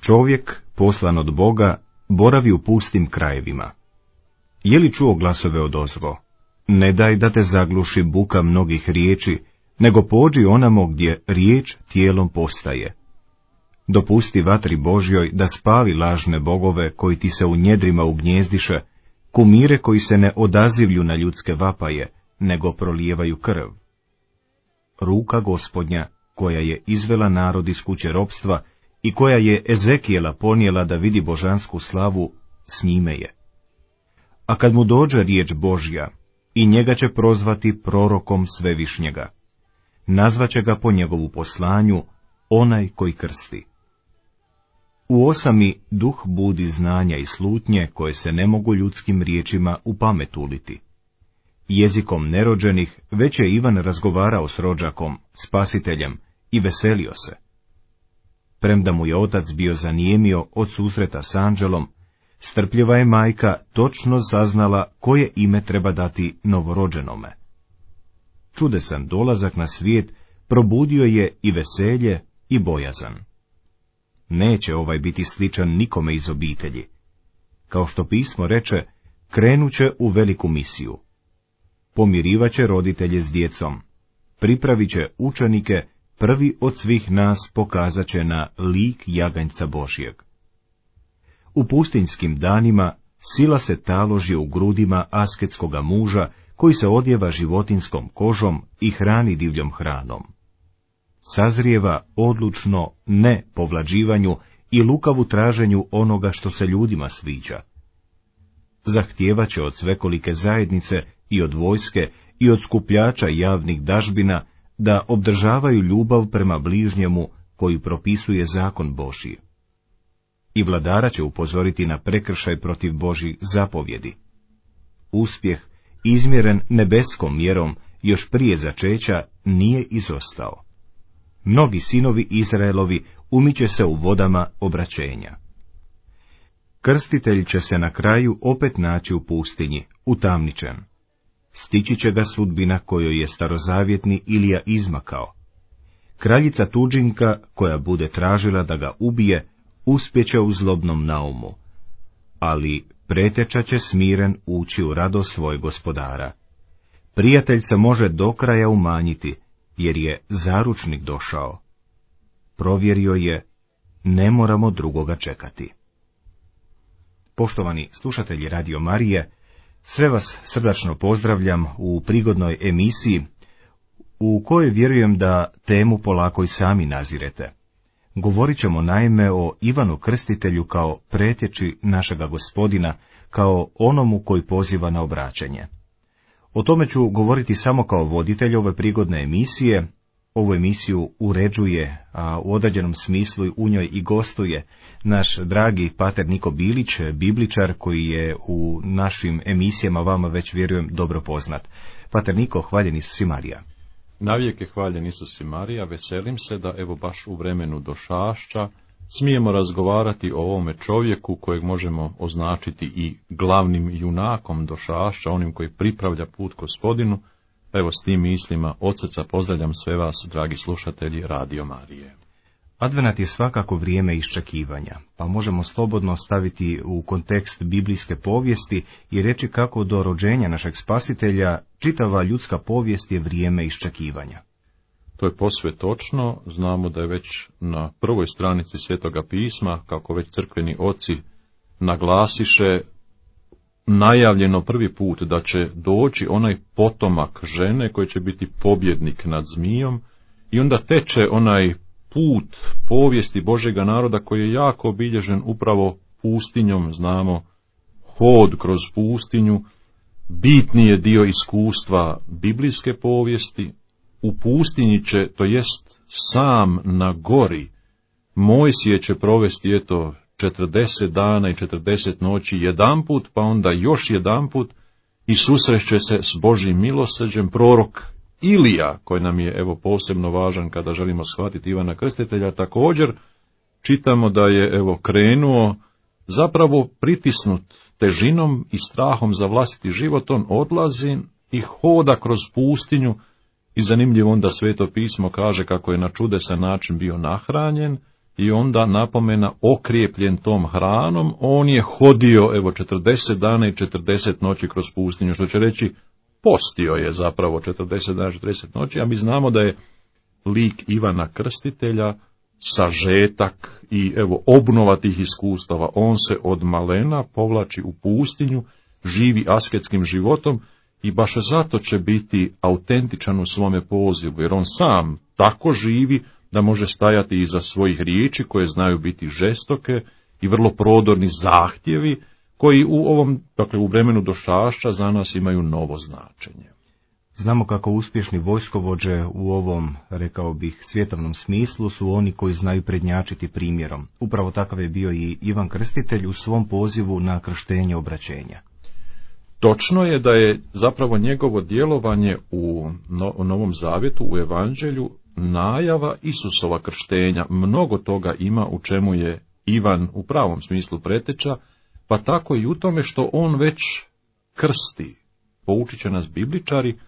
Čovjek, poslan od Boga, boravi u pustim krajevima. Je li čuo glasove odozgo? Ne daj da te zagluši buka mnogih riječi, nego pođi onamo gdje riječ tijelom postaje. Dopusti vatri Božjoj da spavi lažne bogove koji ti se u njedrima ugnjezdiše, kumire koji se ne odazivlju na ljudske vapaje, nego prolijevaju krv. Ruka Gospodnja, koja je izvela narod iz kuće ropstva i koja je Ezekijela ponijela da vidi božansku slavu, s njime je. A kad mu dođe riječ Božja, i njega će prozvati prorokom Svevišnjega. Nazvaće ga po njegovu poslanju onaj koji krsti. U osami duh budi znanja i slutnje koje se ne mogu ljudskim riječima u pamet uliti. Jezikom nerođenih već je Ivan razgovarao s rođakom, spasiteljem, i veselio se. Premda mu je otac bio zanijemio od susreta s anđelom, strpljiva je majka točno saznala koje ime treba dati novorođenome. Čudesan dolazak na svijet probudio je i veselje i bojazan. Neće ovaj biti sličan nikome iz obitelji. Kao što pismo reče, krenuće u veliku misiju. Pomirivaće roditelje s djecom, pripravit će učenike, prvi od svih nas pokazat će na lik jaganjca Božjeg. U pustinjskim danima sila se taloži u grudima asketskoga muža, koji se odjeva životinskom kožom i hrani divljom hranom. Sazrijeva odlučno ne povlađivanju i lukavu traženju onoga što se ljudima sviđa. Zahtijevaće od svekolike zajednice i od vojske i od skupljača javnih dažbina da obdržavaju ljubav prema bližnjemu koju propisuje zakon Božji. I vladara će upozoriti na prekršaj protiv Božjih zapovjedi. Uspjeh, izmjeren nebeskom mjerom, još prije začeća nije izostao. Mnogi sinovi Izraelovi umiće se u vodama obraćenja. Krstitelj će se na kraju opet naći u pustinji, utamničen. Stići će ga sudbina kojoj je starozavjetni Ilija izmakao. Kraljica tuđinka, koja bude tražila da ga ubije, uspjeće u zlobnom naumu, ali preteča će smiren ući u radost svoj gospodara. Prijatelj se može do kraja umanjiti, jer je zaručnik došao. Provjerio je, ne moramo drugoga čekati. Poštovani slušatelji Radio Marije, sve vas srdačno pozdravljam u prigodnoj emisiji, u kojoj vjerujem da temu polako i sami nazirete. Govorit ćemo naime o Ivanu Krstitelju kao pretječi našega Gospodina, kao onomu koji poziva na obraćanje. O tome ću govoriti samo kao voditelj ove prigodne emisije. Ovu emisiju uređuje, a u određenom smislu u njoj i gostuje naš dragi pater Niko Bilić, bibličar koji je u našim emisijama vama već vjerujem dobro poznat. Pater Niko, hvaljen Isus i Marija. Navijek je hvaljen Isus i Marija, veselim se da evo baš u vremenu došašća smijemo razgovarati o ovome čovjeku kojeg možemo označiti i glavnim junakom došašća, onim koji pripravlja put Gospodinu. Evo s tim mislima od srca pozdravljam sve vas, dragi slušatelji Radio Marije. Advenat je svakako vrijeme iščekivanja, pa možemo slobodno staviti u kontekst biblijske povijesti i reći kako do rođenja našeg spasitelja čitava ljudska povijest je vrijeme iščekivanja. To je posve točno, znamo da je već na prvoj stranici Svetoga pisma, kako već crkveni oci naglasiše, najavljeno prvi put da će doći onaj potomak žene koji će biti pobjednik nad zmijom i onda teče onaj put povijesti Božjega naroda koji je jako obilježen upravo pustinjom, znamo, hod kroz pustinju, bitni je dio iskustva biblijske povijesti. U pustinji će, to jest sam na gori, Mojsije će provesti 40 dana i 40 noći jedanput, pa onda još jedanput i susreće se s Božjim milosrđem. Prorok Ilija, koji nam je posebno važan kada želimo shvatiti Ivana Krstitelja, također čitamo da je krenuo zapravo pritisnut težinom i strahom za vlastiti život, on odlazi i hoda kroz pustinju i zanimljivo onda Sveto pismo kaže kako je na čudesan način bio nahranjen i onda napomena okrijepljen tom hranom, on je hodio 40 dana i 40 noći kroz pustinju, što će reći postio je zapravo 40 dana i 40 noći, a mi znamo da je lik Ivana Krstitelja sažetak i obnova tih iskustava. On se od malena povlači u pustinju, živi asketskim životom i baš zato će biti autentičan u svome pozivu, jer on sam tako živi da može stajati iza svojih riječi koje znaju biti žestoke i vrlo prodorni zahtjevi koji u vremenu došašća za nas imaju novo značenje. Znamo kako uspješni vojskovođe u ovom, rekao bih, svjetovnom smislu su oni koji znaju prednjačiti primjerom. Upravo takav je bio i Ivan Krstitelj u svom pozivu na krštenje obraćenja. Točno je da je zapravo njegovo djelovanje u Novom Zavjetu, u Evanđelju, najava Isusova krštenja. Mnogo toga ima u čemu je Ivan u pravom smislu preteča, pa tako i u tome što on već krsti. Poučit će nas bibličari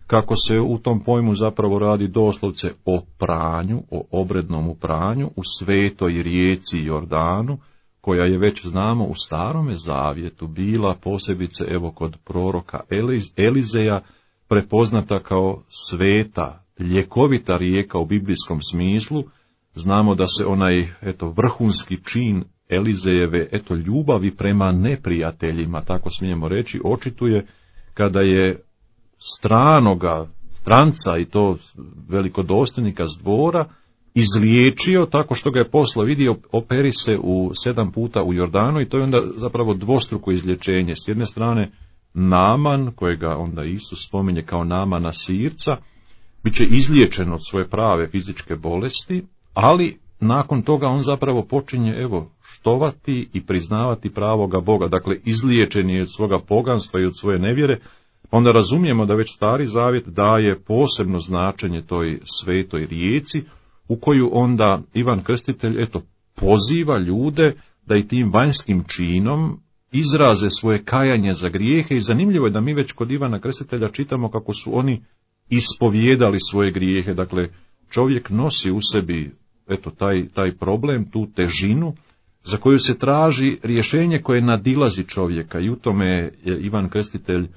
kako se u tom pojmu zapravo radi doslovce o pranju, o obrednom pranju u svetoj rijeci Jordanu, koja je već znamo u Starome Zavjetu bila posebice kod proroka Elizeja prepoznata kao sveta, ljekovita rijeka u biblijskom smislu. Znamo da se onaj vrhunski čin Elizejeve ljubavi prema neprijateljima, tako smijemo reći, očituje kada je stranca i to velikodostojnika s dvora izliječio tako što ga je poslao, vidio, operi se 7 puta u Jordanu, i to je onda zapravo dvostruko izlječenje. S jedne strane Naman, kojega onda Isus spominje kao Namana Sirca, bit će izliječen od svoje prave fizičke bolesti, ali nakon toga on zapravo počinje štovati i priznavati pravoga Boga, dakle izliječen je od svoga poganstva i od svoje nevjere. Onda razumijemo da već Stari Zavjet daje posebno značenje toj svetoj rijeci, u koju onda Ivan Krstitelj poziva ljude da i tim vanjskim činom izraze svoje kajanje za grijehe, i zanimljivo je da mi već kod Ivana Krstitelja čitamo kako su oni ispovijedali svoje grijehe. Dakle, čovjek nosi u sebi taj problem, tu težinu za koju se traži rješenje koje nadilazi čovjeka, i u tome je Ivan Krstitelj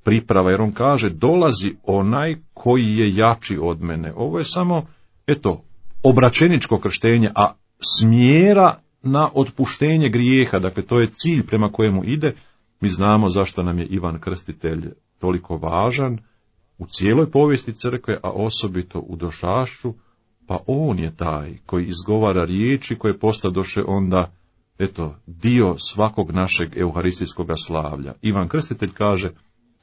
priprava, jer on kaže dolazi onaj koji je jači od mene. Ovo je samo obraćeničko krštenje, a smjera na otpuštenje grijeha, dakle to je cilj prema kojemu ide. Mi znamo zašto nam je Ivan Krstitelj toliko važan u cijeloj povijesti crkve, a osobito u došašću, pa on je taj koji izgovara riječi koje postadoše onda dio svakog našeg euharistijskog slavlja. Ivan Krstitelj kaže: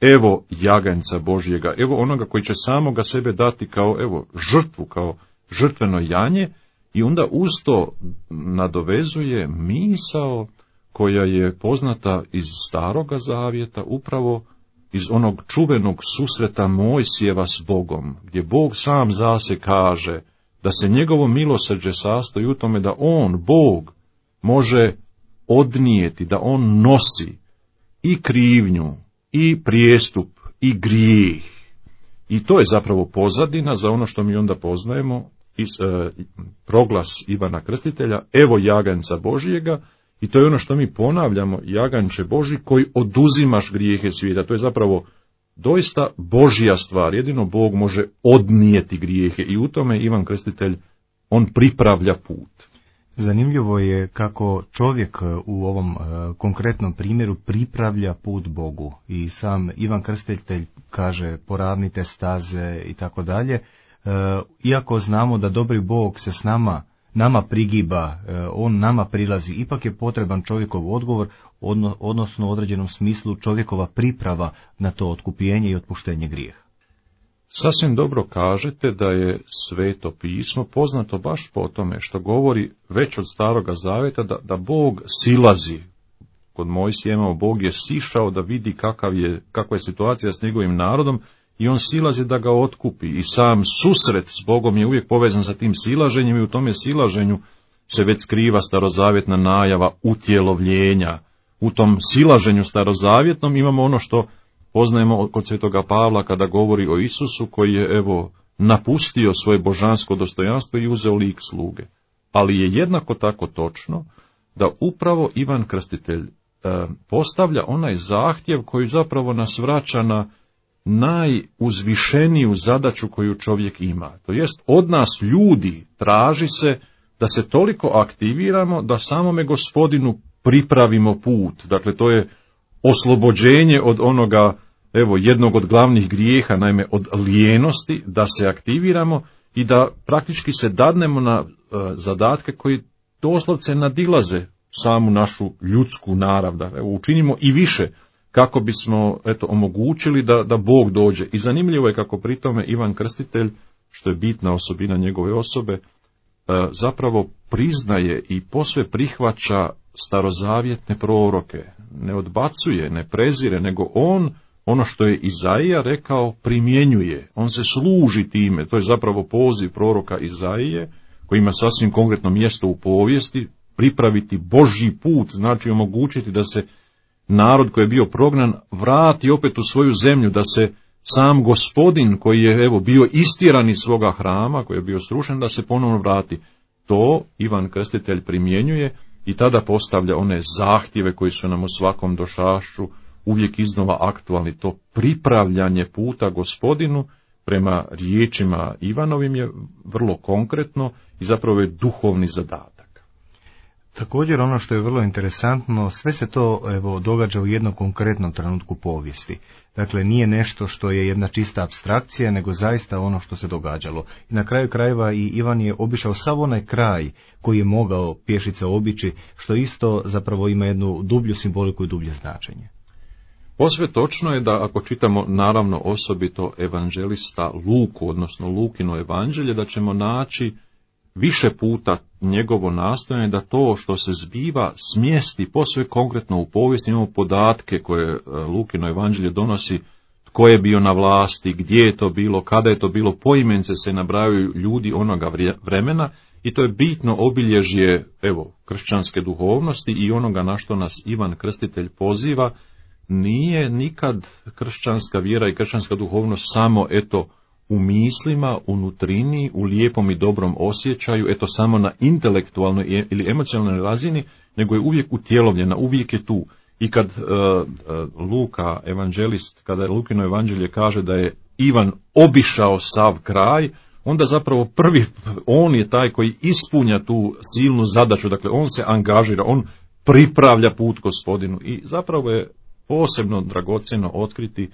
evo jaganjca Božjega, evo onoga koji će samoga sebe dati kao žrtvu, kao žrtveno janje, i onda uz to nadovezuje misao koja je poznata iz Staroga Zavjeta, upravo iz onog čuvenog susreta Mojsijeva s Bogom, gdje Bog sam zase kaže da se njegovo milosrđe sastoji u tome da on, Bog, može odnijeti, da on nosi i krivnju, i prijestup, i grijeh. I to je zapravo pozadina za ono što mi onda poznajemo iz proglas Ivana Krstitelja: evo jaganjca Božjega, i to je ono što mi ponavljamo: jaganče Božji koji oduzimaš grijehe svijeta. To je zapravo doista Božja stvar, jedino Bog može odnijeti grijehe, i u tome Ivan Krstitelj, on pripravlja put. Zanimljivo je kako čovjek u ovom konkretnom primjeru pripravlja put Bogu, i sam Ivan Krstitelj kaže poravnite staze i tako dalje. Iako znamo da dobri Bog se s nama prigiba, on nama prilazi, ipak je potreban čovjekov odgovor, odnosno u određenom smislu čovjekova priprava na to otkupljenje i otpuštenje grijeha. Sasvim dobro kažete da je Sveto pismo poznato baš po tome što govori već od Staroga Zavjeta da Bog silazi. Kod Mojsijeva Bog je sišao da vidi kakva je situacija s njegovim narodom, i on silazi da ga otkupi, i sam susret s Bogom je uvijek povezan sa tim silaženjem, i u tome silaženju se već skriva starozavjetna najava utjelovljenja. U tom silaženju starozavjetnom imamo ono što poznajemo kod Svetoga Pavla kada govori o Isusu koji je napustio svoje božansko dostojanstvo i uzeo lik sluge. ali je jednako tako točno da upravo Ivan Krstitelj postavlja onaj zahtjev koji zapravo nas vraća na najuzvišeniju zadaću koju čovjek ima. To jest, od nas ljudi traži se da se toliko aktiviramo da samome Gospodinu pripravimo put. Dakle, to je oslobođenje od onoga, jednog od glavnih grijeha, naime od lijenosti, da se aktiviramo i da praktički se dadnemo na zadatke koji doslovce nadilaze samu našu ljudsku narav, da učinimo i više kako bismo omogućili da Bog dođe. I zanimljivo je kako pri tome Ivan Krstitelj, što je bitna osobina njegove osobe, zapravo priznaje i posve prihvaća starozavjetne proroke. Ne odbacuje, ne prezire, nego on ono što je Izaija rekao primjenjuje. On se služi time. To je zapravo poziv proroka Izaije, koji ima sasvim konkretno mjesto u povijesti. Pripraviti Božji put, znači omogućiti da se narod koji je bio prognan vrati opet u svoju zemlju, da se sam Gospodin koji je bio istjeran iz svoga hrama, koji je bio srušen, da se ponovno vrati. To Ivan Krstitelj primjenjuje i tada postavlja one zahtjeve koji su nam u svakom došašću uvijek iznova aktualni. To pripravljanje puta Gospodinu prema riječima Ivanovim je vrlo konkretno i zapravo je duhovni zadatak. Također ono što je vrlo interesantno, sve se to događa u jednom konkretnom trenutku povijesti. Dakle, nije nešto što je jedna čista apstrakcija, nego zaista ono što se događalo. I na kraju krajeva i Ivan je obišao sav onaj kraj koji je mogao pješice obići, što isto zapravo ima jednu dublju simboliku i dublje značenje. Posve točno je da ako čitamo naravno osobito evanđelista Luku, odnosno Lukino evanđelje, da ćemo naći više puta njegovo nastojanje da to što se zbiva smjesti posve konkretno u povijesti. Imamo podatke koje Lukino evanđelje donosi, tko je bio na vlasti, gdje je to bilo, kada je to bilo, poimence se nabrajaju ljudi onoga vremena i to je bitno obilježje kršćanske duhovnosti i onoga na što nas Ivan Krstitelj poziva. Nije nikad kršćanska vjera i kršćanska duhovnost samo u mislima, u nutrini, u lijepom i dobrom osjećaju, samo na intelektualnoj ili emocionalnoj razini, nego je uvijek utjelovljena, uvijek je tu. I kad Luka, evanđelist, kada Lukino evanđelje kaže da je Ivan obišao sav kraj, onda zapravo prvi, on je taj koji ispunja tu silnu zadaću, dakle on se angažira, on pripravlja put Gospodinu i zapravo je posebno dragocjeno otkriti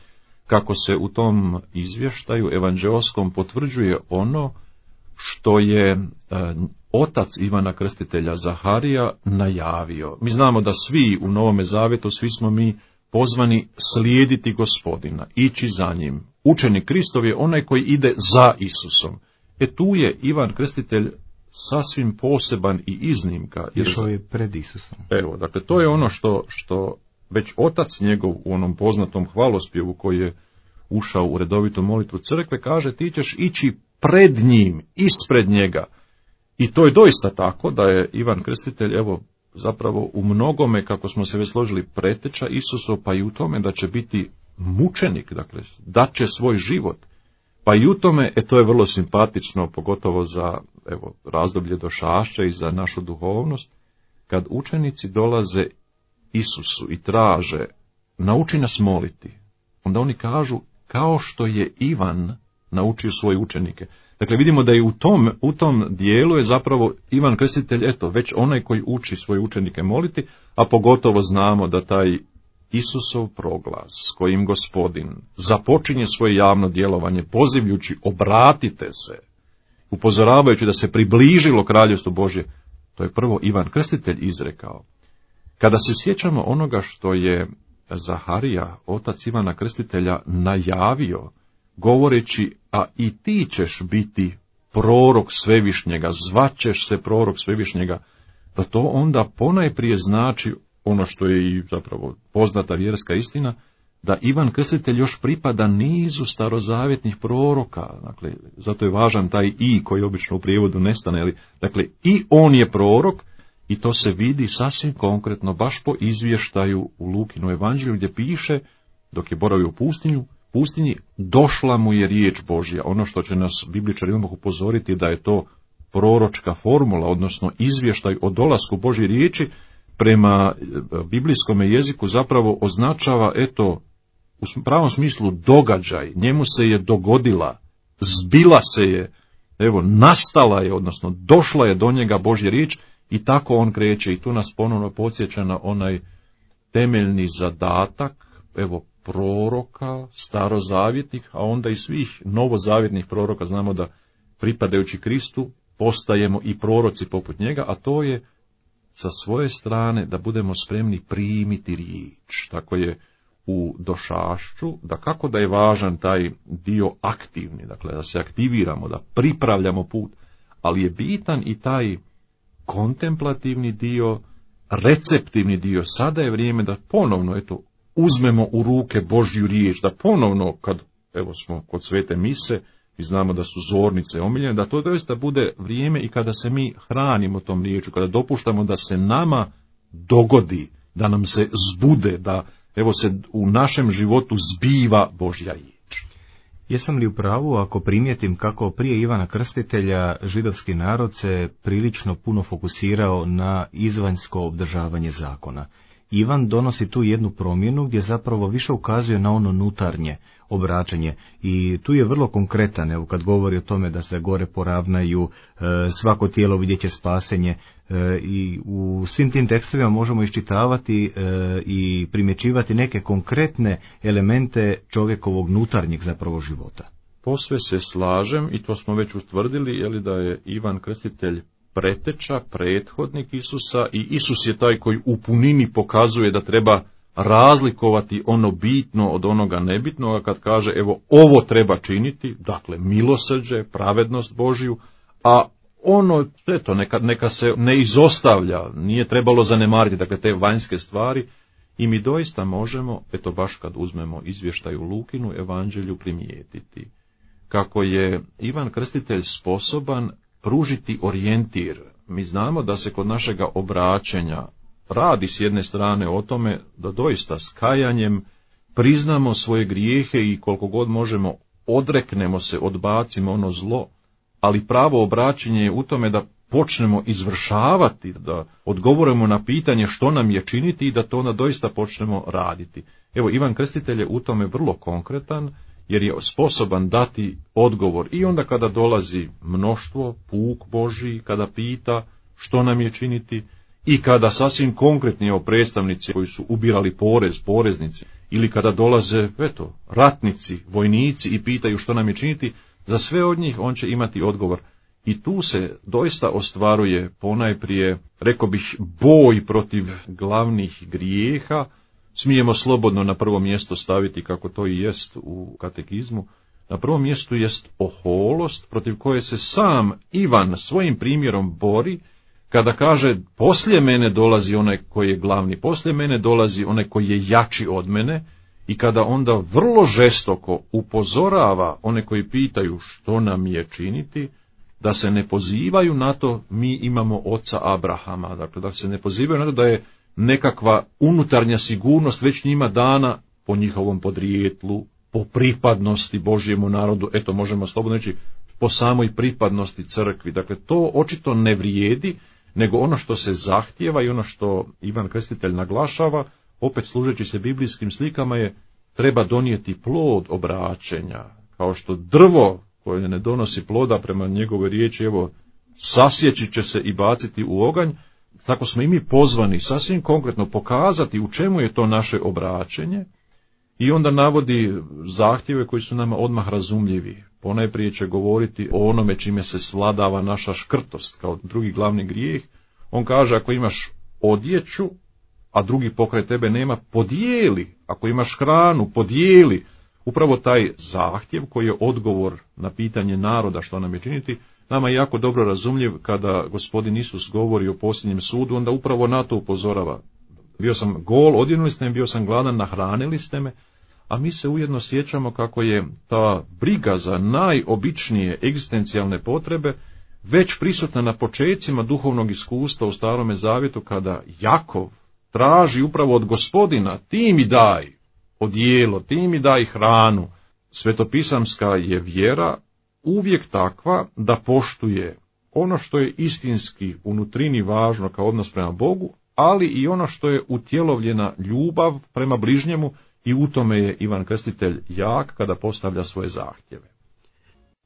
kako se u tom izvještaju evanđeoskom potvrđuje ono što je otac Ivana Krstitelja Zaharija najavio. Mi znamo da svi u Novome Zavjetu, svi smo mi pozvani slijediti Gospodina, ići za njim. Učenik Kristov je onaj koji ide za Isusom. Tu je Ivan Krstitelj sasvim poseban i iznimka. Išao je pred Isusom. Dakle, to je ono što već otac njegov u onom poznatom hvalospjevu koji je ušao u redovitu molitvu crkve, kaže ti ćeš ići pred njim, ispred njega. I to je doista tako da je Ivan Krstitelj zapravo u mnogome, kako smo se već složili, preteča Isusov, pa i u tome da će biti mučenik, dakle daće svoj život. Pa i u tome, to je vrlo simpatično, pogotovo za razdoblje došašća i za našu duhovnost, kad učenici dolaze Isusu i traže, nauči nas moliti, onda oni kažu, kao što je Ivan naučio svoje učenike. Dakle, vidimo da je u tom dijelu je zapravo Ivan Krstitelj, već onaj koji uči svoje učenike moliti, a pogotovo znamo da taj Isusov proglas, s kojim Gospodin započinje svoje javno djelovanje, pozivljući, obratite se, upozoravajući da se približilo kraljevstvo Božje, to je prvo Ivan Krstitelj izrekao. Kada se sjećamo onoga što je Zaharija, otac Ivana Krstitelja, najavio, govoreći, a i ti ćeš biti prorok Svevišnjega, zvaćeš se prorok Svevišnjega, da to onda ponajprije znači ono što je i zapravo poznata vjerska istina, da Ivan Krstitelj još pripada nizu starozavjetnih proroka, dakle, zato je važan taj i koji obično u prijevodu nestane, dakle, i on je prorok, i to se vidi sasvim konkretno, baš po izvještaju u Lukinu evanđelju, gdje piše, dok je boravio u pustinji, došla mu je riječ Božja. Ono što će nas bibličari odmah upozoriti da je to proročka formula, odnosno izvještaj o dolasku Božje riječi, prema biblijskom jeziku zapravo označava, u pravom smislu događaj, njemu se je dogodila, zbila se je, nastala je, odnosno došla je do njega Božja riječ i tako on kreće. I tu nas ponovno podsjeća na onaj temeljni zadatak, proroka, starozavjetnih, a onda i svih novozavjetnih proroka. Znamo da pripadajući Kristu postajemo i proroci poput njega, a to je sa svoje strane da budemo spremni primiti riječ. Tako je u došašću, da kako da je važan taj dio aktivni, dakle da se aktiviramo, da pripravljamo put, ali je bitan i taj kontemplativni dio, receptivni dio. Sada je vrijeme da ponovno uzmemo u ruke Božju riječ, da ponovno kad smo kod svete mise i znamo da su zornice omiljene, da to doista bude vrijeme i kada se mi hranimo tom riječu, kada dopuštamo da se nama dogodi, da nam se zbude, da se u našem životu zbiva Božja riječ. Jesam li u pravu ako primijetim kako prije Ivana Krstitelja židovski narod se prilično puno fokusirao na izvanjsko obdržavanje zakona? Ivan donosi tu jednu promjenu gdje zapravo više ukazuje na ono unutarnje obraćanje i tu je vrlo konkretan, kad govori o tome da se gore poravnaju, svako tijelo vidjet će spasenje, i u svim tim tekstovima možemo iščitavati i primjećivati neke konkretne elemente čovjekovog unutarnjeg zapravo života. Posve se slažem i to smo već utvrdili, da je Ivan Krstitelj preteča, prethodnik Isusa i Isus je taj koji u punini pokazuje da treba razlikovati ono bitno od onoga nebitnoga kad kaže ovo treba činiti, dakle milosrđe, pravednost Božju, a ono neka se ne izostavlja, nije trebalo zanemariti, dakle te vanjske stvari i mi doista možemo, baš kad uzmemo izvještaj u Lukinu evanđelju primijetiti kako je Ivan Krstitelj sposoban pružiti orijentir. Mi znamo da se kod našega obraćenja radi s jedne strane o tome da doista s kajanjem priznamo svoje grijehe i koliko god možemo odreknemo se, odbacimo ono zlo, ali pravo obraćenje je u tome da počnemo izvršavati, da odgovorimo na pitanje što nam je činiti i da to onda doista počnemo raditi. Ivan Krstitelj je u tome vrlo konkretan, jer je sposoban dati odgovor i onda kada dolazi mnoštvo, puk Božji, kada pita što nam je činiti i kada sasvim konkretni predstavnici koji su ubirali porez, poreznici, ili kada dolaze ratnici, vojnici i pitaju što nam je činiti, za sve od njih on će imati odgovor. I tu se doista ostvaruje ponajprije, rekao bih, boj protiv glavnih grijeha. Smijemo slobodno na prvo mjesto staviti, kako to i jest u katekizmu, na prvom mjestu jest oholost protiv koje se sam Ivan svojim primjerom bori, kada kaže poslije mene dolazi onaj koji je glavni, poslije mene dolazi onaj koji je jači od mene, i kada onda vrlo žestoko upozorava one koji pitaju što nam je činiti, da se ne pozivaju na to mi imamo oca Abrahama, dakle da se ne pozivaju na to da je nekakva unutarnja sigurnost već njima dana po njihovom podrijetlu, po pripadnosti Božjemu narodu, možemo slobodno reći po samoj pripadnosti crkvi. Dakle, to očito ne vrijedi, nego ono što se zahtijeva i ono što Ivan Krstitelj naglašava, opet služeći se biblijskim slikama, je treba donijeti plod obraćenja, kao što drvo koje ne donosi ploda prema njegove riječi, sasjeći će se i baciti u oganj. Tako smo i mi pozvani sasvim konkretno pokazati u čemu je to naše obraćenje i onda navodi zahtjeve koji su nama odmah razumljivi. Ponajprije će govoriti o onome čime se svladava naša škrtost kao drugi glavni grijeh. On kaže ako imaš odjeću, a drugi pokraj tebe nema, podijeli. Ako imaš hranu, podijeli. Upravo taj zahtjev koji je odgovor na pitanje naroda što nam je činiti, nama je jako dobro razumljiv kada Gospodin Isus govori o posljednjem sudu, onda upravo na to upozorava. Bio sam gol, odjenuli ste me, bio sam gladan, nahranili ste me, a mi se ujedno sjećamo kako je ta briga za najobičnije egzistencijalne potrebe već prisutna na počecima duhovnog iskustva u Starome Zavjetu, kada Jakov traži upravo od Gospodina, ti mi daj odijelo, ti mi daj hranu. Svetopisamska je vjera uvijek takva da poštuje ono što je istinski unutrini važno kao odnos prema Bogu, ali i ono što je utjelovljena ljubav prema bližnjemu, i u tome je Ivan Krstitelj jak kada postavlja svoje zahtjeve.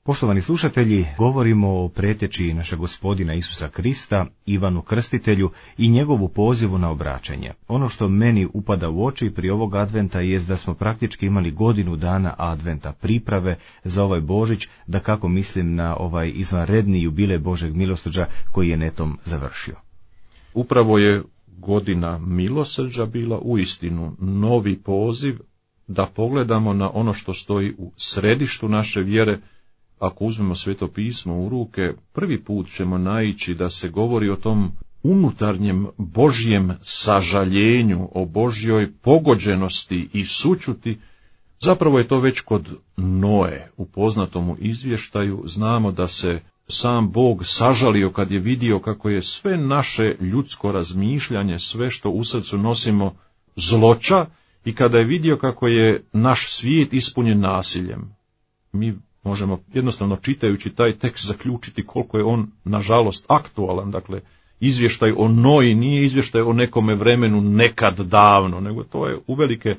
Poštovani slušatelji, govorimo o pretječi našeg Gospodina Isusa Krista, Ivanu Krstitelju i njegovu pozivu na obraćanje. Ono što meni upada u oči pri ovog adventa jest da smo praktički imali godinu dana adventa, priprave za ovaj Božić, da kako mislim na ovaj izvanredni jubilej Božeg milosrđa koji je netom završio. Upravo je godina milosrđa bila uistinu novi poziv da pogledamo na ono što stoji u središtu naše vjere. Ako uzmemo Sveto pismo u ruke, prvi put ćemo naići da se govori o tom unutarnjem Božjem sažaljenju, o Božjoj pogođenosti i sućuti. Zapravo je to već kod Noe u poznatomu izvještaju. Znamo da se sam Bog sažalio kad je vidio kako je sve naše ljudsko razmišljanje, sve što u srcu nosimo, zloća, i kada je vidio kako je naš svijet ispunjen nasiljem. Mi možemo jednostavno čitajući taj tekst zaključiti koliko je on nažalost aktualan. Dakle, izvještaj o Noji nije izvještaj o nekome vremenu nekad davno, nego to je uvelike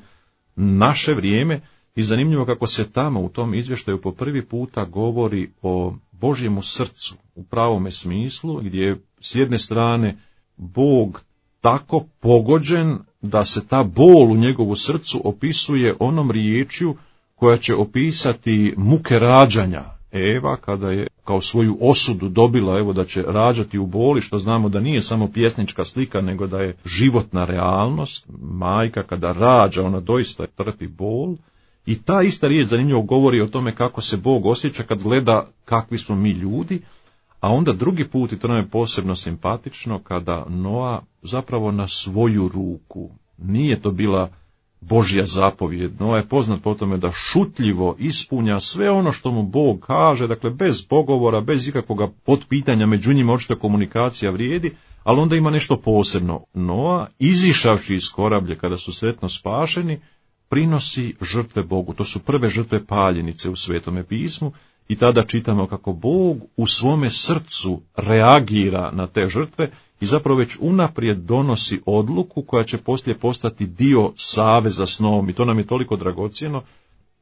naše vrijeme. I zanimljivo kako se tamo u tom izvještaju po prvi puta govori o Božjemu srcu u pravome smislu, gdje je s jedne strane Bog tako pogođen da se ta bol u njegovu srcu opisuje onom riječju koja će opisati muke rađanja. Eva, kada je kao svoju osudu dobila da će rađati u boli, što znamo da nije samo pjesnička slika, nego da je životna realnost. Majka kada rađa, ona doista trpi bol. I ta ista riječ zanimljivo govori o tome kako se Bog osjeća kad gleda kakvi smo mi ljudi, a onda drugi put, i to nam je posebno simpatično, kada Noa zapravo na svoju ruku, nije to bila Božja zapovjed, Noa je poznat po tome da šutljivo ispunja sve ono što mu Bog kaže, dakle bez pogovora, bez ikakvoga potpitanja, među njima očito komunikacija vrijedi, ali onda ima nešto posebno. Noa, izišavši iz korablje kada su sretno spašeni, prinosi žrtve Bogu. To su prve žrtve paljenice u Svetome pismu i tada čitamo kako Bog u svome srcu reagira na te žrtve i zapravo već unaprijed donosi odluku koja će poslije postati dio saveza s Noom. I to nam je toliko dragocjeno.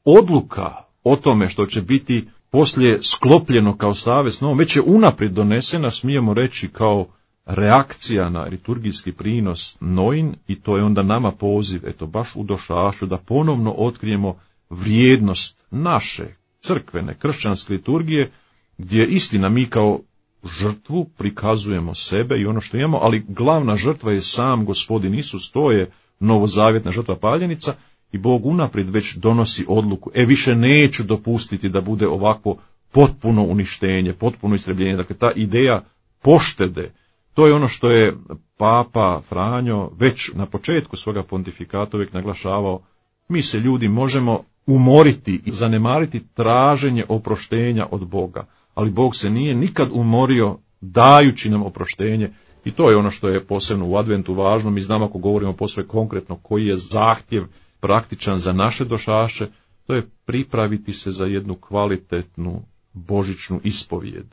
Odluka o tome što će biti poslije sklopljeno kao savez s Noom već je unaprijed donesena, smijemo reći, kao reakcija na liturgijski prinos Noin, i to je onda nama poziv, baš u Došašu, da ponovno otkrijemo vrijednost naše crkvene, kršćanske liturgije, gdje istina mi kao žrtvu prikazujemo sebe i ono što imamo, ali glavna žrtva je sam Gospodin Isus, to je novozavjetna žrtva paljenica, i Bog unaprijed već donosi odluku, više neću dopustiti da bude ovako potpuno uništenje, potpuno istrebljenje. Dakle, ta ideja poštede, to je ono što je Papa Franjo već na početku svoga pontifikata uvijek naglašavao. Mi se, ljudi, možemo umoriti i zanemariti traženje oproštenja od Boga, ali Bog se nije nikad umorio dajući nam oproštenje, i to je ono što je posebno u adventu važno. Mi znamo, ako govorimo posve konkretno koji je zahtjev praktičan za naše došaše, to je pripraviti se za jednu kvalitetnu božićnu ispovijed.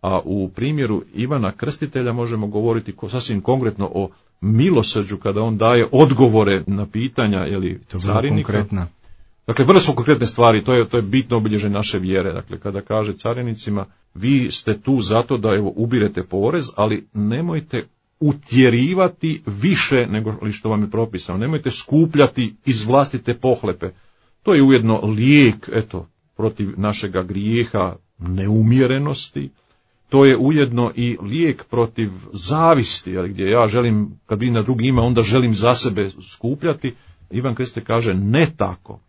A u primjeru Ivana Krstitelja možemo govoriti sasvim konkretno o milosrđu, kada on daje odgovore na pitanja carinika. Dakle, vrlo su konkretne stvari, to je bitno obilježje naše vjere. Dakle, kada kaže carinicima, vi ste tu zato da ubirete porez, ali nemojte utjerivati više nego što vam je propisano. Nemojte skupljati iz vlastite pohlepe. To je ujedno lijek, protiv našega grijeha neumjerenosti. To je ujedno i lijek protiv zavisti, gdje ja želim, kad vidim da drugi ima, onda želim za sebe skupljati. Ivan Krstitelj kaže ne tako.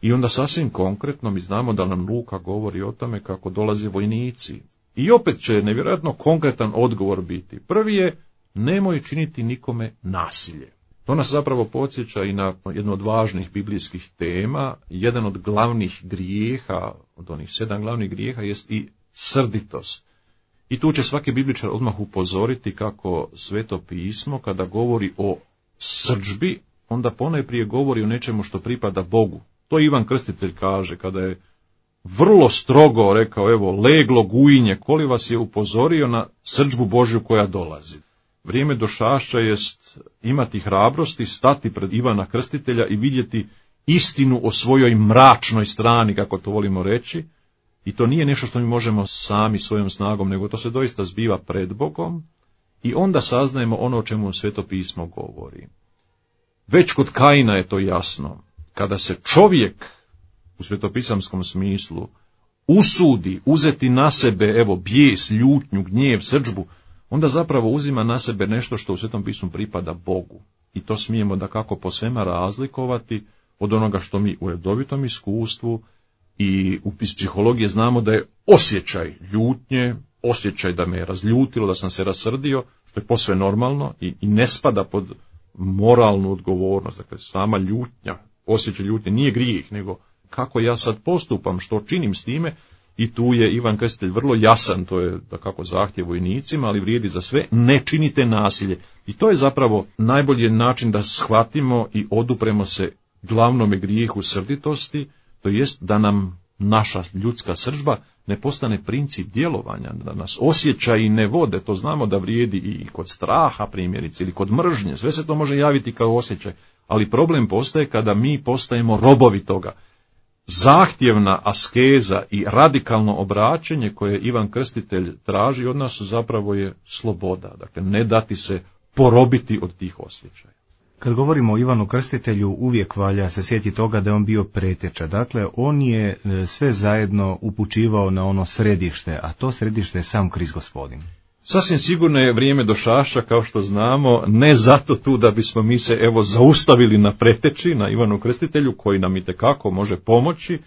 I onda sasvim konkretno mi znamo da nam Luka govori o tome kako dolaze vojnici. I opet će nevjerojatno konkretan odgovor biti. Prvi je, nemoj činiti nikome nasilje. To nas zapravo podsjeća i na jednu od važnih biblijskih tema. Jedan od glavnih grijeha, od onih 7 glavnih grijeha, jest i srditost. I tu će svaki bibličar odmah upozoriti kako Sveto pismo, kada govori o srdžbi, onda ponajprije govori o nečemu što pripada Bogu. To Ivan Krstitelj kaže kada je vrlo strogo rekao, evo, leglo gujinje, koli vas je upozorio na srdžbu Božju koja dolazi. Vrijeme došašća jest imati hrabrosti, stati pred Ivana Krstitelja i vidjeti istinu o svojoj mračnoj strani, kako to volimo reći, i to nije nešto što mi možemo sami svojom snagom, nego to se doista zbiva pred Bogom i onda saznajemo ono o čemu Sveto pismo govori. Već kod Kaina je to jasno. Kada se čovjek u svetopisamskom smislu usudi uzeti na sebe, evo, bijes, ljutnju, gnjev, srdžbu, onda zapravo uzima na sebe nešto što u Svetom pismu pripada Bogu. I to smijemo dakako po svema razlikovati od onoga što mi u redovitom iskustvu i iz psihologije znamo da je osjećaj ljutnje, osjećaj da me je razljutilo, da sam se rasrdio, što je posve normalno i ne spada pod moralnu odgovornost. Dakle, sama ljutnja, osjećaj ljutnje nije grijeh, nego kako ja sad postupam, što činim s time, i tu je Ivan Krstitelj vrlo jasan, to je dakako zahtjev vojnicima, ali vrijedi za sve, ne činite nasilje. I to je zapravo najbolji način da shvatimo i odupremo se glavnome grijehu srditosti, to jest da nam naša ljudska srdžba ne postane princip djelovanja, da nas osjećaji ne vode. To znamo da vrijedi i kod straha primjerice ili kod mržnje, sve se to može javiti kao osjećaj, ali problem postaje kada mi postajemo robovi toga. Zahtjevna askeza i radikalno obraćenje koje Ivan Krstitelj traži od nas zapravo je sloboda, dakle ne dati se porobiti od tih osjećaja. Kad govorimo o Ivanu Krstitelju, uvijek valja se sjetiti toga da je on bio preteča. Dakle, on je sve zajedno upućivao na ono središte, a to središte je sam Krist Gospodin. Sasvim sigurno je vrijeme došašća, kao što znamo, ne zato tu da bismo mi se evo zaustavili na preteči, na Ivanu Krstitelju, koji nam itekako može pomoći,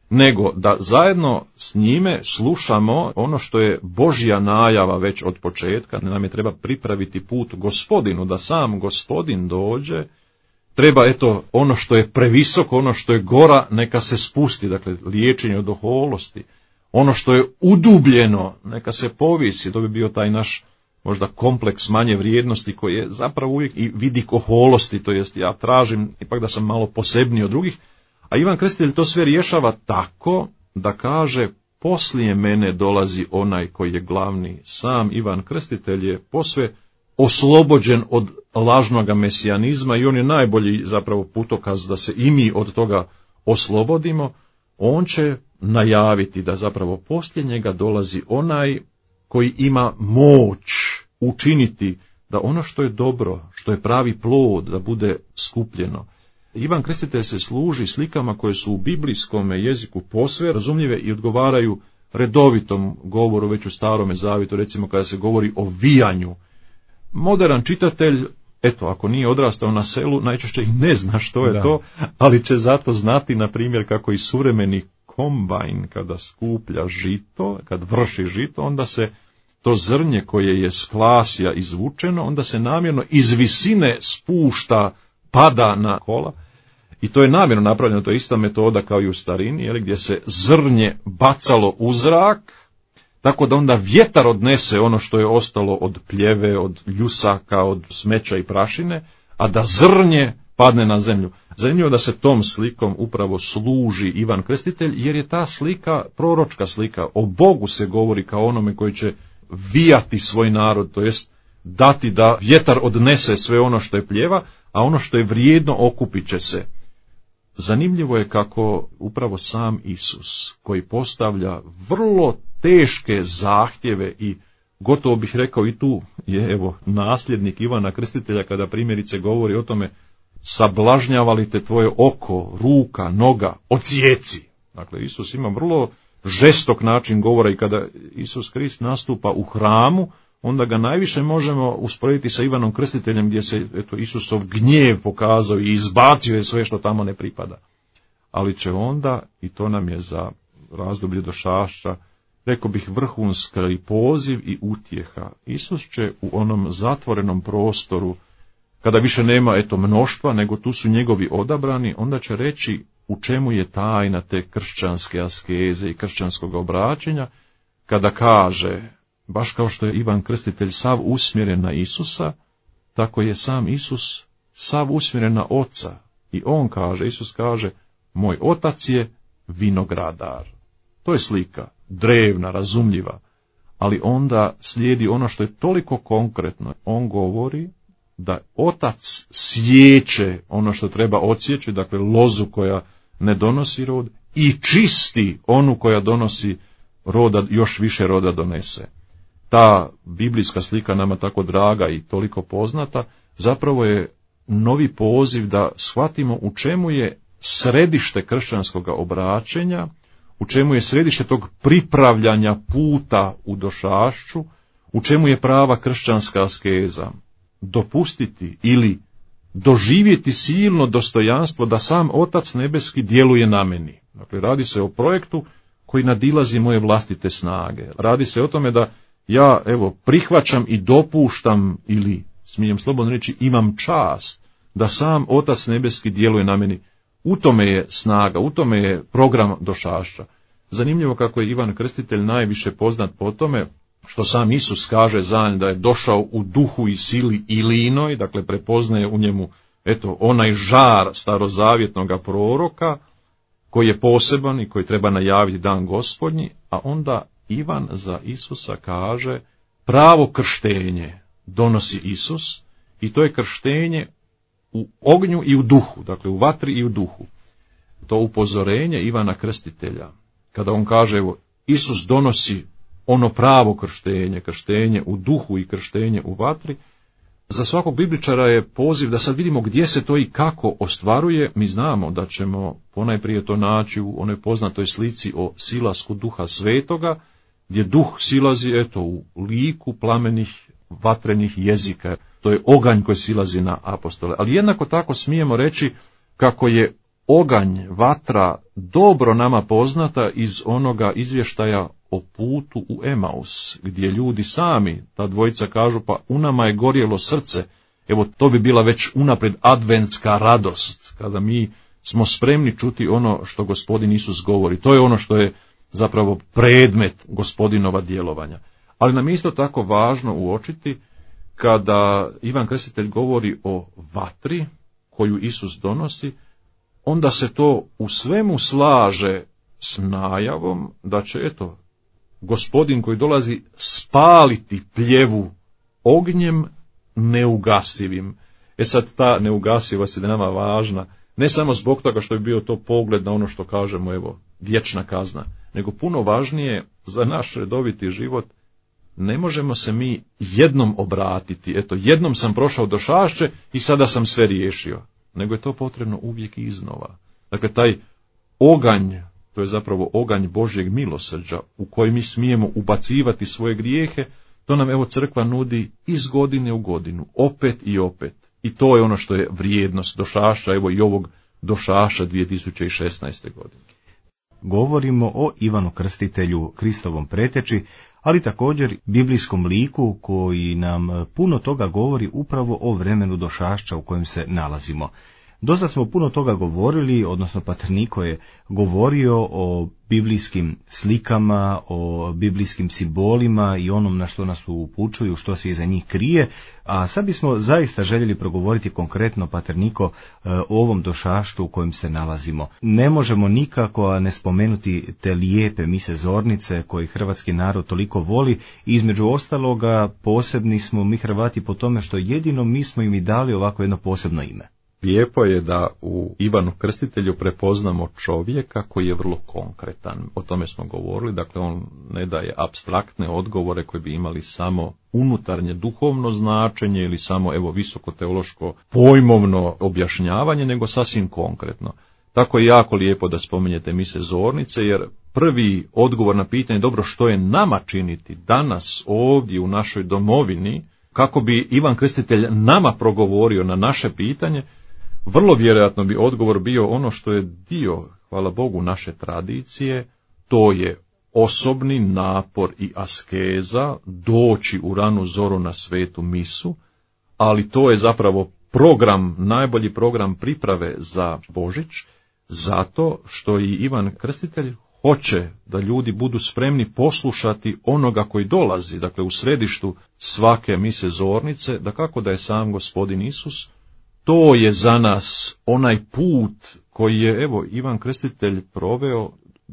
nego da zajedno s njime slušamo ono što je Božja najava već od početka. Nam je treba pripraviti put Gospodinu, da sam Gospodin dođe. Treba, eto, ono što je previsoko, ono što je gora, neka se spusti, dakle, liječenje od oholosti. Ono što je udubljeno, neka se povisi, to bi bio taj naš možda kompleks manje vrijednosti koji je zapravo uvijek i vidik oholosti, to jest ja tražim ipak da sam malo posebniji od drugih, a Ivan Krstitelj to sve rješava tako da kaže poslije mene dolazi onaj koji je glavni. Sam Ivan Krstitelj je posve oslobođen od lažnoga mesijanizma i on je najbolji zapravo putokaz da se i mi od toga oslobodimo. On će najaviti da zapravo poslije njega dolazi onaj koji ima moć učiniti da ono što je dobro, što je pravi plod, da bude skupljeno. Ivan Krstitelj se služi slikama koje su u biblijskom jeziku posve razumljive i odgovaraju redovitom govoru već u Starome Zavjetu, recimo kada se govori o vijanju. Modern čitatelj, eto, ako nije odrastao na selu, najčešće i ne zna što je to, ali će zato znati, na primjer, kako i suvremeni kombajn kada skuplja žito, kad vrši žito, onda se to zrnje koje je s klasja izvučeno, onda se namjerno iz visine spušta, pada na kola. I to je namjerno napravljeno, to je ista metoda kao i u starini, gdje se zrnje bacalo u zrak, tako da onda vjetar odnese ono što je ostalo od pljeve, od ljusaka, od smeća i prašine, a da zrnje padne na zemlju. Zanimljivo da se tom slikom upravo služi Ivan Krstitelj, jer je ta slika proročka slika. O Bogu se govori kao onome koji će vijati svoj narod, to jest dati da vjetar odnese sve ono što je pljeva, a ono što je vrijedno okupit će se. Zanimljivo je kako upravo sam Isus, koji postavlja vrlo teške zahtjeve i gotovo bih rekao i tu je evo nasljednik Ivana Krstitelja kada primjerice govori o tome sablažnjava li te tvoje oko, ruka, noga, odsjeci. Dakle, Isus ima vrlo žestok način govora i kada Isus Krist nastupa u hramu, onda ga najviše možemo usporediti sa Ivanom Krstiteljem gdje se eto, Isusov gnjev pokazao i izbacio je sve što tamo ne pripada. Ali će onda, i to nam je za razdoblje došašća, rekao bih vrhunska i poziv i utjeha. Isus će u onom zatvorenom prostoru, kada više nema eto mnoštva, nego tu su njegovi odabrani, onda će reći u čemu je tajna te kršćanske askeze i kršćanskog obraćenja, kada kaže, baš kao što je Ivan Krstitelj sav usmjeren na Isusa, tako je sam Isus sav usmjeren na Oca. I on kaže, Isus kaže, moj Otac je vinogradar. To je slika, drevna, razumljiva, ali onda slijedi ono što je toliko konkretno. On govori da otac sječe ono što treba odsjeći, dakle lozu koja ne donosi rod, i čisti onu koja donosi roda, još više roda donese. Ta biblijska slika nama tako draga i toliko poznata, zapravo je novi poziv da shvatimo u čemu je središte kršćanskog obraćenja, u čemu je središte tog pripravljanja puta u došašću, u čemu je prava kršćanska askeza. Dopustiti ili doživjeti silno dostojanstvo da sam Otac nebeski djeluje na meni. Dakle, radi se o projektu koji nadilazi moje vlastite snage. Radi se o tome da ja, prihvaćam i dopuštam, ili smijem slobodno reći, imam čast da sam Otac nebeski djeluje na meni. U tome je snaga, u tome je program došašća. Zanimljivo kako je Ivan Krstitelj najviše poznat po tome što sam Isus kaže za njega da je došao u duhu i sili Ilinoj, dakle prepoznaje u njemu onaj žar starozavjetnog proroka koji je poseban i koji treba najaviti dan Gospodnji, a onda Ivan za Isusa kaže pravo krštenje donosi Isus, i to je krštenje u ognju i u duhu, dakle u vatri i u duhu. To upozorenje Ivana Krstitelja, kada on kaže Isus donosi ono pravo krštenje u duhu i krštenje u vatri, za svakog bibličara je poziv da sad vidimo gdje se to i kako ostvaruje. Mi znamo da ćemo ponajprije to naći u onoj poznatoj slici o silasku Duha Svetoga, gdje duh silazi u liku plamenih vatrenih jezika. To je oganj koji silazi na apostole. Ali jednako tako smijemo reći kako je oganj, vatra, dobro nama poznata iz onoga izvještaja o putu u Emaus, gdje ljudi sami, ta dvojica kažu, pa u nama je gorjelo srce. To bi bila već unaprijed adventska radost, kada mi smo spremni čuti ono što Gospodin Isus govori. To je ono što je zapravo predmet Gospodinova djelovanja. Ali nam je isto tako važno uočiti kada Ivan Krstitelj govori o vatri koju Isus donosi, onda se to u svemu slaže s najavom da će, Gospodin koji dolazi spaliti pljevu ognjem neugasivim. Sad ta neugasivost je nama važna, ne samo zbog toga što bi bio to pogled na ono što kažemo, vječna kazna, nego puno važnije za naš redoviti život. Ne možemo se mi jednom obratiti, jednom sam prošao došašće i sada sam sve riješio, nego je to potrebno uvijek iznova. Dakle, taj oganj, to je zapravo oganj Božjeg milosrđa u koji mi smijemo ubacivati svoje grijehe, to nam crkva nudi iz godine u godinu, opet i opet. I to je ono što je vrijednost došašća, i ovog došaša 2016. godine. Govorimo o Ivanu Krstitelju, Kristovom preteči, ali također biblijskom liku koji nam puno toga govori upravo o vremenu došašća u kojem se nalazimo. Dosta smo puno toga govorili, odnosno pater Niko je govorio o biblijskim slikama, o biblijskim simbolima i onom na što nas upućuju, što se iza njih krije, a sad bismo zaista željeli progovoriti konkretno, pater Niko, o ovom došašću u kojem se nalazimo. Ne možemo nikako a ne spomenuti te lijepe mise zornice koje hrvatski narod toliko voli, i između ostaloga posebni smo mi Hrvati po tome što jedino mi smo im i dali ovako jedno posebno ime. Lijepo je da u Ivanu Krstitelju prepoznamo čovjeka koji je vrlo konkretan. O tome smo govorili, dakle on ne daje apstraktne odgovore koji bi imali samo unutarnje duhovno značenje ili samo visoko teološko pojmovno objašnjavanje, nego sasvim konkretno. Tako je jako lijepo da spominjete mise zornice, jer prvi odgovor na pitanje, dobro, što je nama činiti danas ovdje u našoj domovini, kako bi Ivan Krstitelj nama progovorio na naše pitanje, vrlo vjerojatno bi odgovor bio ono što je dio, hvala Bogu, naše tradicije, to je osobni napor i askeza, doći u ranu zoru na svetu misu, ali to je zapravo program, najbolji program priprave za Božić, zato što i Ivan Krstitelj hoće da ljudi budu spremni poslušati onoga koji dolazi, dakle u središtu svake mise zornice, da kako da je sam Gospodin Isus. To je za nas onaj put koji je, Ivan Krstitelj proveo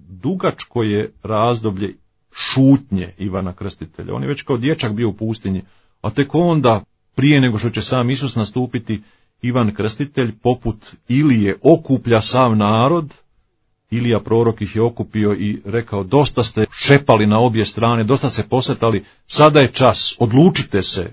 dugačko je razdoblje šutnje Ivana Krstitelja. On je već kao dječak bio u pustinji, a tek onda, prije nego što će sam Isus nastupiti, Ivan Krstitelj poput Ilije okuplja sav narod. Ilija prorok ih je okupio i rekao: dosta ste šepali na obje strane, dosta se posvetali, sada je čas, odlučite se.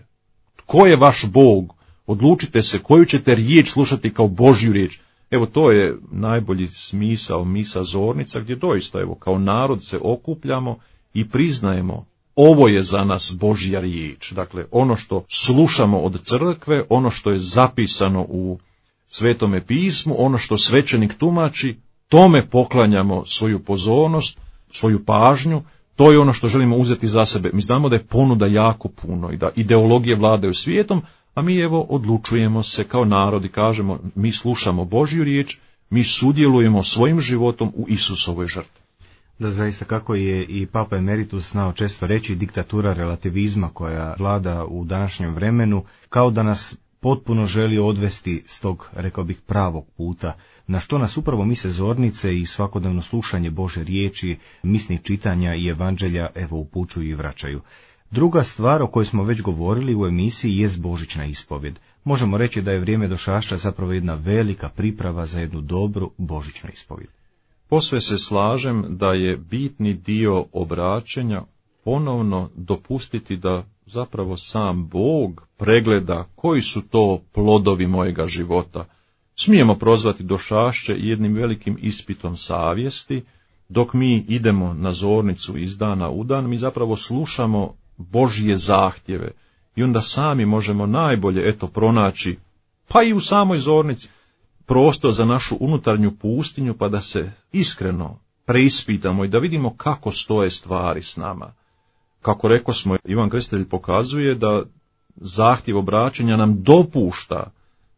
Tko je vaš Bog? Odlučite se koju ćete riječ slušati kao Božju riječ. Evo, to je najbolji smisao misa zornica, gdje doista, evo, kao narod se okupljamo i priznajemo: ovo je za nas Božja riječ. Dakle, ono što slušamo od crkve, ono što je zapisano u Svetome pismu, ono što svećenik tumači, tome poklanjamo svoju pozornost, svoju pažnju, to je ono što želimo uzeti za sebe. Mi znamo da je ponuda jako puno i da ideologije vladaju svijetom, a mi evo odlučujemo se kao narod i kažemo: mi slušamo Božju riječ, mi sudjelujemo svojim životom u Isusovoj žrtvi. Da, zaista, kako je i Papa Emeritus znao često reći, diktatura relativizma koja vlada u današnjem vremenu, kao da nas potpuno želi odvesti s tog, rekao bih, pravog puta, na što nas upravo mise zornice i svakodnevno slušanje Bože riječi, misnih čitanja i evanđelja evo upućuju i vraćaju. Druga stvar o kojoj smo već govorili u emisiji jest božićna ispovjed. Možemo reći da je vrijeme došašća zapravo jedna velika priprava za jednu dobru božićnu ispovjed. Posve se slažem da je bitni dio obraćanja ponovno dopustiti da zapravo sam Bog pregleda koji su to plodovi mojega života. Smijemo prozvati došašće jednim velikim ispitom savjesti. Dok mi idemo na zornicu iz dana u dan, mi zapravo slušamo Božje zahtjeve i onda sami možemo najbolje pronaći, pa i u samoj zornici, prostor za našu unutarnju pustinju, pa da se iskreno preispitamo i da vidimo kako stoje stvari s nama. Kako rekosmo, Ivan Krstitelj pokazuje da zahtjev obraćanja nam dopušta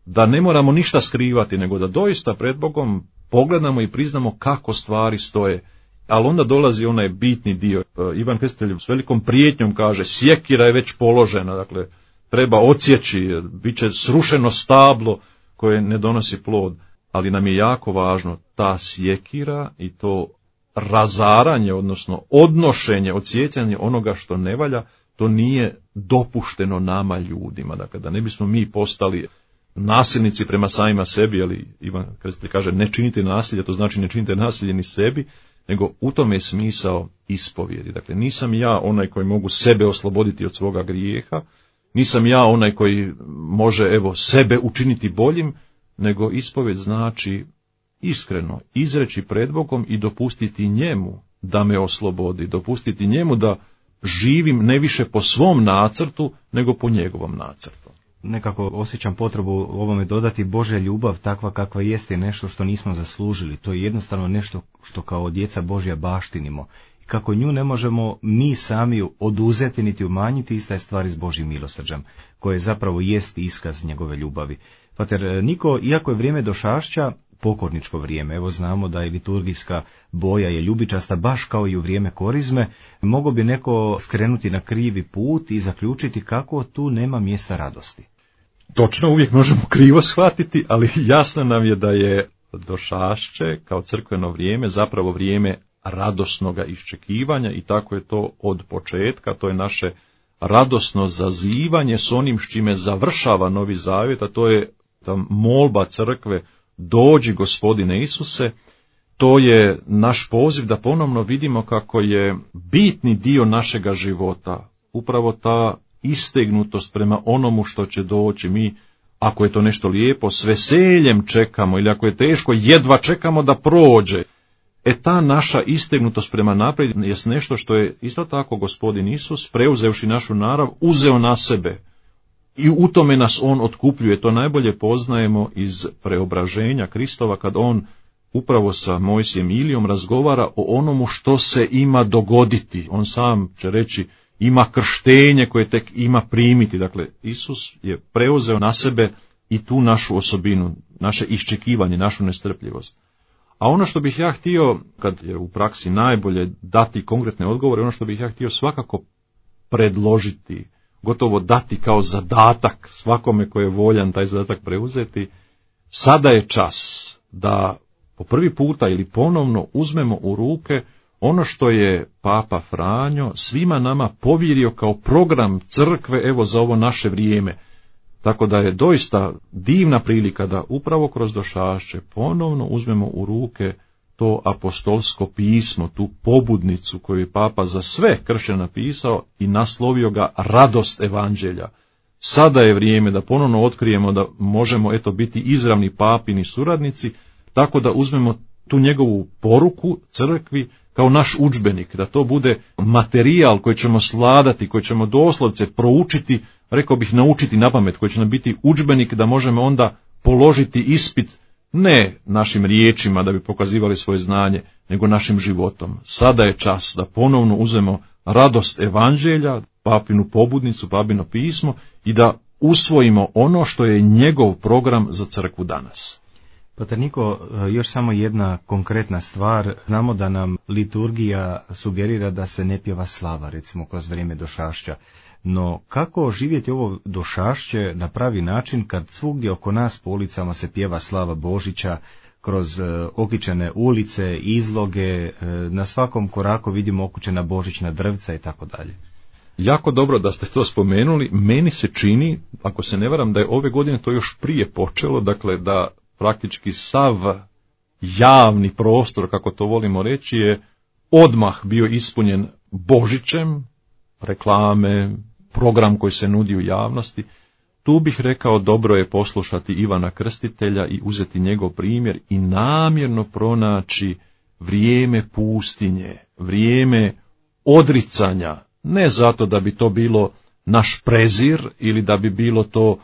da ne moramo ništa skrivati, nego da doista pred Bogom pogledamo i priznamo kako stvari stoje. Ali onda dolazi onaj bitni dio. Ivan Krstitelj s velikom prijetnjom kaže: sjekira je već položena, dakle treba odsjeći, bit će srušeno stablo koje ne donosi plod. Ali nam je jako važno ta sjekira i to razaranje, odnosno odnošenje, odsjecanje onoga što ne valja, to nije dopušteno nama ljudima. Dakle, da ne bismo mi postali nasilnici prema samima sebi, ali Ivan Krstitelj kaže: ne činite nasilje, to znači ne činite nasilje ni sebi, nego u tome je smisao ispovjedi. Dakle, nisam ja onaj koji mogu sebe osloboditi od svoga grijeha, nisam ja onaj koji može sebe učiniti boljim, nego ispovjed znači iskreno izreći pred Bogom i dopustiti njemu da me oslobodi, dopustiti njemu da živim ne više po svom nacrtu, nego po njegovom nacrtu. Nekako osjećam potrebu ovome dodati: Božja ljubav takva kakva jeste nešto što nismo zaslužili. To je jednostavno nešto što kao djeca Božja baštinimo. I kako nju ne možemo mi sami oduzeti niti umanjiti, ista je stvar s Božjim milosrđem, koje zapravo jest iskaz njegove ljubavi. Pater Niko, iako je vrijeme došašća pokorničko vrijeme, evo znamo da je liturgijska boja je ljubičasta baš kao i u vrijeme korizme, mogao bi neko skrenuti na krivi put i zaključiti kako tu nema mjesta radosti. Točno, uvijek možemo krivo shvatiti, ali jasno nam je da je došašće kao crkveno vrijeme zapravo vrijeme radosnoga iščekivanja i tako je to od početka. To je naše radosno zazivanje s onim s čime završava Novi Zavjet, a to je ta molba crkve: dođi Gospodine Isuse. To je naš poziv da ponovno vidimo kako je bitni dio našega života upravo ta istegnutost prema onomu što će doći. Mi, ako je to nešto lijepo, s veseljem čekamo, ili ako je teško, jedva čekamo da prođe. Ta naša istegnutost prema naprijed je nešto što je isto tako Gospodin Isus, preuzevši našu narav, uzeo na sebe. I u tome nas on otkupljuje. To najbolje poznajemo iz preobraženja Kristova, kad on upravo sa Mojsijem i Ilijom razgovara o onomu što se ima dogoditi. On sam će reći: ima krštenje koje tek ima primiti. Dakle, Isus je preuzeo na sebe i tu našu osobinu, naše iščekivanje, našu nestrpljivost. A ono što bih ja htio, kad je u praksi najbolje dati konkretne odgovore, ono što bih ja htio svakako predložiti, gotovo dati kao zadatak svakome koji je voljan taj zadatak preuzeti: sada je čas da po prvi puta ili ponovno uzmemo u ruke ono što je Papa Franjo svima nama povjerio kao program crkve, evo, za ovo naše vrijeme. Tako da je doista divna prilika da upravo kroz Došašće ponovno uzmemo u ruke to apostolsko pismo, tu pobudnicu koju je Papa za sve kršćane napisao i naslovio ga Radost evanđelja. Sada je vrijeme da ponovno otkrijemo da možemo biti izravni papini suradnici, tako da uzmemo tu njegovu poruku crkvi kao naš udžbenik, da to bude materijal koji ćemo sladati, koji ćemo doslovce proučiti, rekao bih naučiti napamet, koji će nam biti udžbenik da možemo onda položiti ispit ne našim riječima da bi pokazivali svoje znanje, nego našim životom. Sada je čas da ponovno uzmemo radost evanđelja, papinu pobudnicu, papino pismo i da usvojimo ono što je njegov program za crkvu danas. Pater Niko, još samo jedna konkretna stvar. Znamo da nam liturgija sugerira da se ne pjeva slava, recimo kroz vrijeme Došašća. No kako živjeti ovo Došašće na pravi način kad svugdje oko nas po ulicama se pjeva slava Božića, kroz okičene ulice, izloge, na svakom koraku vidimo okučena božićna drvca i tako dalje. Jako dobro da ste to spomenuli. Meni se čini, ako se ne varam, da je ove godine to još prije počelo, dakle da praktički sav javni prostor, kako to volimo reći, je odmah bio ispunjen Božićem, reklame, program koji se nudi u javnosti. Tu bih rekao dobro je poslušati Ivana Krstitelja i uzeti njegov primjer i namjerno pronaći vrijeme pustinje, vrijeme odricanja, ne zato da bi to bilo naš prezir ili da bi bilo to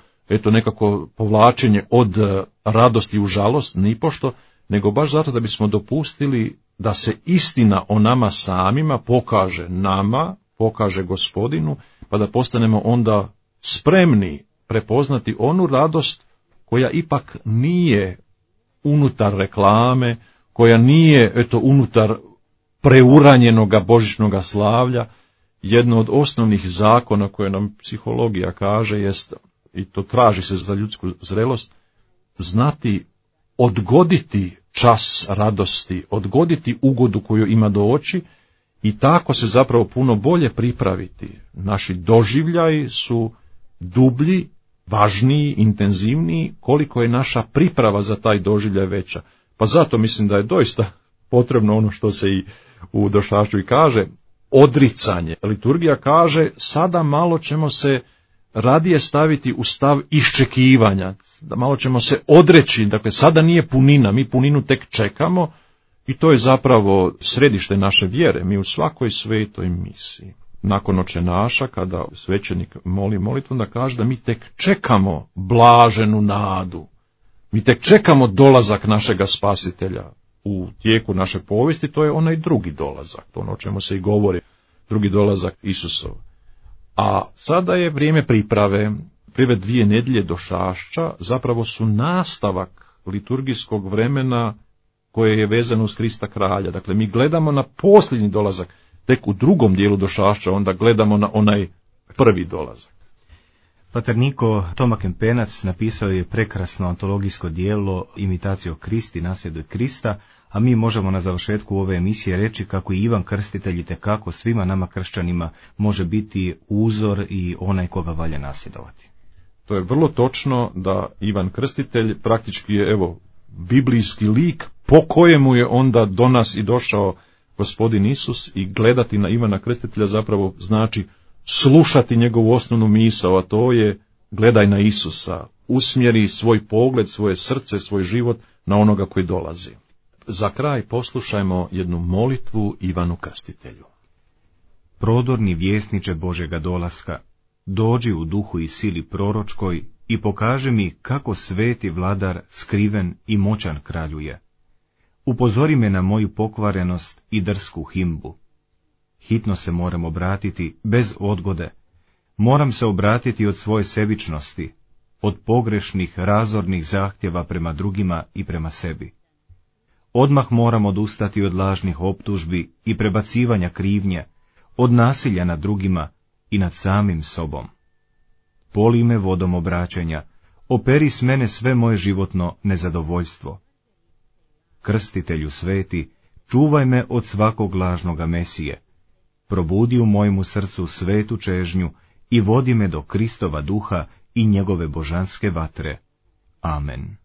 nekako povlačenje od radosti u žalost, nipošto, nego baš zato da bismo dopustili da se istina o nama samima pokaže nama, pokaže Gospodinu, pa da postanemo onda spremni prepoznati onu radost koja ipak nije unutar reklame, koja nije unutar preuranjenoga božićnoga slavlja. Jedno od osnovnih zakona koje nam psihologija kaže jest, i to traži se za ljudsku zrelost, znati odgoditi čas radosti, odgoditi ugodu koju ima doći i tako se zapravo puno bolje pripraviti. Naši doživljaji su dublji, važniji, intenzivniji, koliko je naša priprava za taj doživljaj veća. Pa zato mislim da je doista potrebno ono što se i u Došašću i kaže, odricanje. Liturgija kaže, sada malo ćemo se radije staviti u stav iščekivanja, da malo ćemo se odreći, dakle sada nije punina, mi puninu tek čekamo i to je zapravo središte naše vjere, mi u svakoj svetoj misiji. Nakon Oče naša, kada svećenik moli molitvu, da kaže da mi tek čekamo blaženu nadu, mi tek čekamo dolazak našega Spasitelja. U tijeku naše povijesti to je onaj drugi dolazak, to ono o čemu se i govori, drugi dolazak Isusov. A sada je vrijeme priprave. Prve 2 nedjelje Došašća zapravo su nastavak liturgijskog vremena koje je vezano uz Krista kralja. Dakle, mi gledamo na posljednji dolazak, tek u drugom dijelu Došašća onda gledamo na onaj prvi dolazak. Pater Niko, Toma Kempenac napisao je prekrasno antologijsko dijelo Imitatio Christi, nasljeduje Krista, a mi možemo na završetku ove emisije reći kako i Ivan Krstitelj itekako svima nama kršćanima može biti uzor i onaj koga valja nasljedovati. To je vrlo točno da Ivan Krstitelj praktički je biblijski lik po kojemu je onda do nas i došao Gospodin Isus i gledati na Ivana Krstitelja zapravo znači slušati njegovu osnovnu misao, a to je gledaj na Isusa, usmjeri svoj pogled, svoje srce, svoj život na onoga koji dolazi. Za kraj poslušajmo jednu molitvu Ivanu Krstitelju. Prodorni vjesniče Božega dolaska, dođi u duhu i sili proročkoj i pokaži mi kako sveti vladar skriven i moćan kraljuje. Upozori me na moju pokvarenost i drsku himbu. Hitno se moram obratiti, bez odgode. Moram se obratiti od svoje sebičnosti, od pogrešnih, razornih zahtjeva prema drugima i prema sebi. Odmah moram odustati od lažnih optužbi i prebacivanja krivnje, od nasilja nad drugima i nad samim sobom. Poli me vodom obraćanja, operi s mene sve moje životno nezadovoljstvo. krstitelju sveti, čuvaj me od svakog lažnoga mesije. Probudi u mojemu srcu svetu čežnju i vodi me do Kristova duha i njegove božanske vatre. Amen.